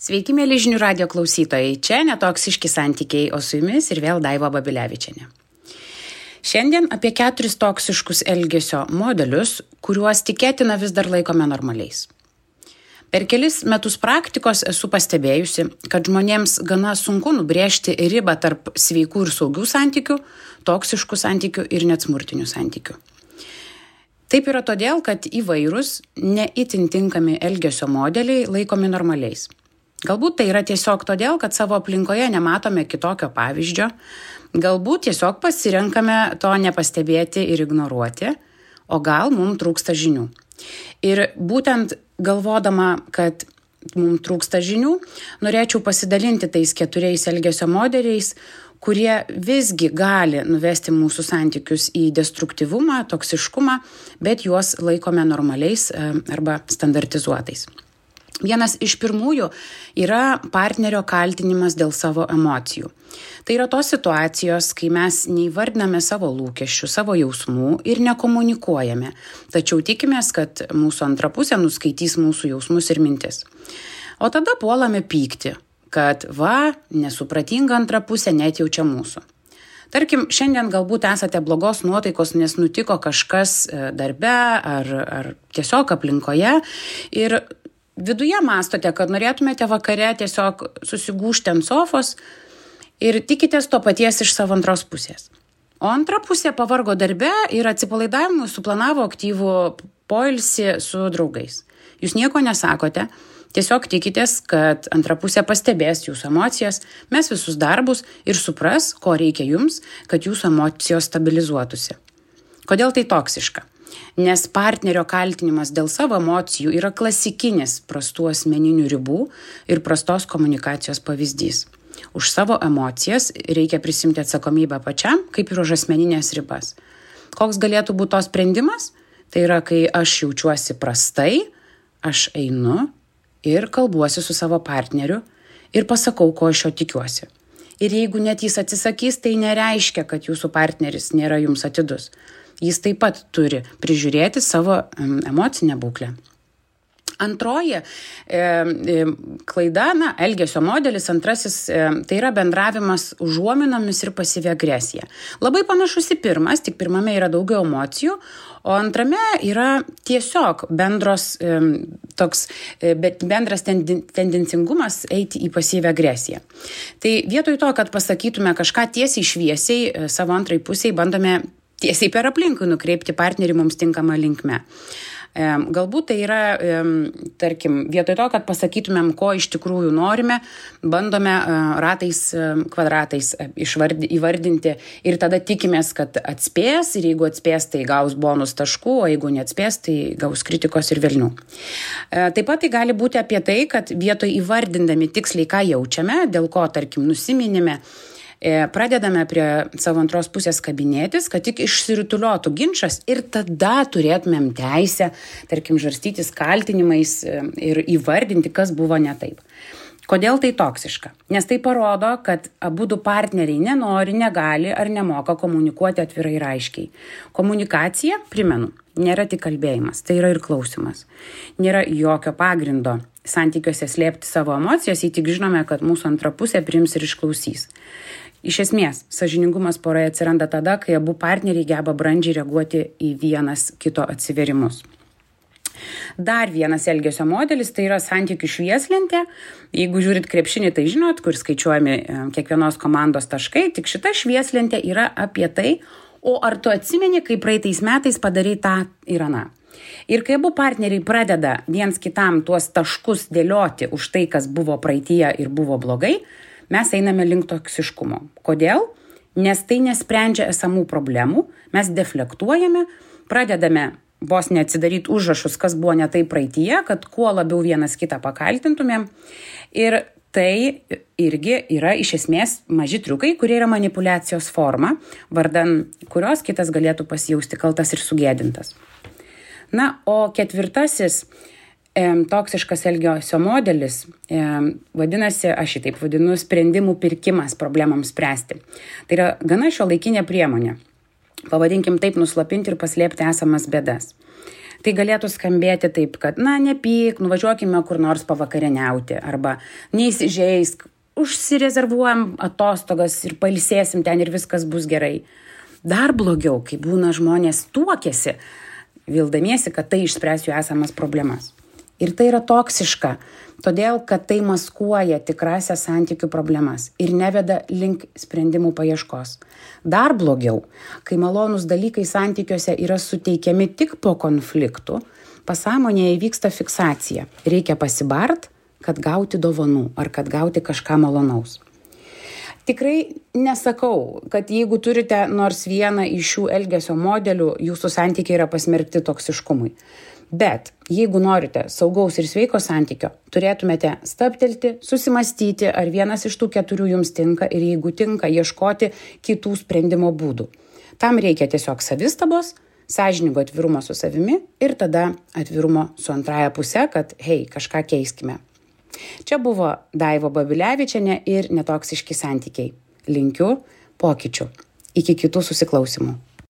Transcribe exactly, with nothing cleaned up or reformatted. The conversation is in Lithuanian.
Sveiki, mėly žinių radijo klausytojai. Čia netoksiški santykiai, o su jumis ir vėl Daiva Babilevičienė. Šiandien apie keturis toksiškus elgesio modelius, kuriuos tikėtina vis dar laikome normaliais. Per kelis metus praktikos esu pastebėjusi, kad žmonėms gana sunku nubrėžti ribą tarp sveikų ir saugių santykių, toksiškų santykių ir net smurtinių santykių. Taip yra todėl, kad įvairūs, ne itin tinkami elgesio modeliai laikomi normaliais. Galbūt tai yra tiesiog todėl, kad savo aplinkoje nematome kitokio pavyzdžio, galbūt tiesiog pasirenkame to nepastebėti ir ignoruoti, o gal mums trūksta žinių. Ir būtent galvodama, kad mums trūksta žinių, norėčiau pasidalinti tais keturiais elgesio modeliais, kurie visgi gali nuvesti mūsų santykius į destruktyvumą, toksiškumą, bet juos laikome normaliais arba standartizuotais. Vienas iš pirmųjų yra partnerio kaltinimas dėl savo emocijų. Tai yra tos situacijos, kai mes neįvardiname savo lūkesčių, savo jausmų ir nekomunikuojame, tačiau tikimės, kad mūsų antra pusė nuskaitys mūsų jausmus ir mintis. O tada puolame pykti, kad va, nesupratinga antra pusė net jaučia mūsų. Tarkim, šiandien galbūt esate blogos nuotaikos, nes nutiko kažkas darbe ar, ar tiesiog aplinkoje ir viduje mąstote, kad norėtumėte vakare tiesiog susigūžti ant sofos ir tikitės to paties iš savo antros pusės. O antra pusė pavargo darbe ir atsipalaidavimui suplanavo aktyvų poilsį su draugais. Jūs nieko nesakote, tiesiog tikitės, kad antra pusė pastebės jūsų emocijas, mes visus darbus ir supras, ko reikia jums, kad jūsų emocijos stabilizuotųsi. Kodėl tai toksiška? Nes partnerio kaltinimas dėl savo emocijų yra klasikinis prastų asmeninių ribų ir prastos komunikacijos pavyzdys. Už savo emocijas reikia prisimti atsakomybę pačiam, kaip ir už asmeninės ribas. Koks galėtų būti to sprendimas? Tai yra, kai aš jaučiuosi prastai, aš einu ir kalbuosi su savo partneriu ir pasakau, ko aš jo tikiuosi. Ir jeigu net jis atsisakys, tai nereiškia, kad jūsų partneris nėra jums atidus. Jis taip pat turi prižiūrėti savo emocinę būklę. Antroji e, e, klaida, na, elgesio modelis, antrasis, e, tai yra bendravimas užuominomis ir pasyvi agresija. Labai panašus į pirmas, tik pirmame yra daugiau emocijų, o antrame yra tiesiog bendros, e, toks, e, bendras tendi, tendencingumas eiti į pasyvią agresiją. Tai vietoj to, kad pasakytume kažką tiesiai šviesiai, e, savo antrai pusiai bandome tiesiai per aplinkui nukreipti partnerį mums tinkamą linkme. E, galbūt tai yra, e, tarkim, vietoj to, kad pasakytumėm, ko iš tikrųjų norime, bandome e, ratais, e, kvadratais išvardi, įvardinti ir tada tikimės, kad atspės ir jeigu atspės, tai gaus bonus taškų, o jeigu neatspės, tai gaus kritikos ir velnių. E, taip pat tai gali būti apie tai, kad vietoj įvardindami tiksliai, ką jaučiame, dėl ko, tarkim, nusiminime, pradedame prie savo antros pusės kabinėtis, kad tik išsirutuliotų ginčas ir tada turėtumėm teisę, tarkim, žarstytis kaltinimais ir įvardinti, kas buvo ne taip. Kodėl tai toksiška? Nes tai parodo, kad abudu partneriai nenori, negali ar nemoka komunikuoti atvirai ir aiškiai. Komunikacija, primenu, nėra tik kalbėjimas, tai yra ir klausimas. Nėra jokio pagrindo santykiuose slėpti savo emocijas, jei tik žinome, kad mūsų antra pusė priims ir išklausys. Iš esmės, sąžiningumas poroje atsiranda tada, kai abu partneriai geba brandžiai reaguoti į vienas kito atsiverimus. Dar vienas elgesio modelis, tai yra santykių švieslentė. Jeigu žiūrit krepšinį, tai žinot, kur skaičiuojami kiekvienos komandos taškai, tik šita švieslentė yra apie tai, o ar tu atsimeni, kai praeitais metais padarai tą ir aną. Ir kai abu partneriai pradeda viens kitam tuos taškus dėlioti už tai, kas buvo praeityje ir buvo blogai, mes einame link toksiškumo. Kodėl? Nes tai nesprendžia esamų problemų, mes deflektuojame, pradedame vos neatsidaryti užrašus, kas buvo ne taip praeityje, kad kuo labiau vienas kitą pakaltintumėm. Ir tai irgi yra iš esmės maži triukai, kurie yra manipulacijos forma, vardan kurios kitas galėtų pasijausti kaltas ir sugėdintas. Na, o ketvirtasis E, toksiškas elgesio modelis, e, vadinasi, aš šitaip vadinu, sprendimų pirkimas problemams spręsti. Tai yra gana šiuolaikinė priemonė. Pavadinkim taip, nuslapinti ir paslėpti esamas bėdas. Tai galėtų skambėti taip, kad, na, nepyk, nuvažiuokime kur nors pavakarieniauti, arba neįsižeisk, užsirezervuojam atostogas ir pailsėsim ten ir viskas bus gerai. Dar blogiau, kai būna žmonės tuokiasi, vildamiesi, kad tai išspręs jų esamas problemas. Ir tai yra toksiška, todėl, kad tai maskuoja tikrasias santykių problemas ir neveda link sprendimų paieškos. Dar blogiau, kai malonūs dalykai santykiuose yra suteikiami tik po konfliktų, pasąmonėje įvyksta fiksacija. Reikia pasibart, kad gauti dovanų ar kad gauti kažką malonaus. Tikrai nesakau, kad jeigu turite nors vieną iš šių elgesio modelių, jūsų santykiai yra pasmerkti toksiškumui. Bet jeigu norite saugaus ir sveiko santykio, turėtumėte stabtelti, susimastyti, ar vienas iš tų keturių jums tinka ir jeigu tinka, ieškoti kitų sprendimo būdų. Tam reikia tiesiog savistabos, sąžiningo atvirumo su savimi ir tada atvirumo su antraja puse, kad hei, kažką keiskime. Čia buvo Daiva Babilevičienė ir netoksiški santykiai. Linkiu pokyčių. Iki kitų susiklausimų.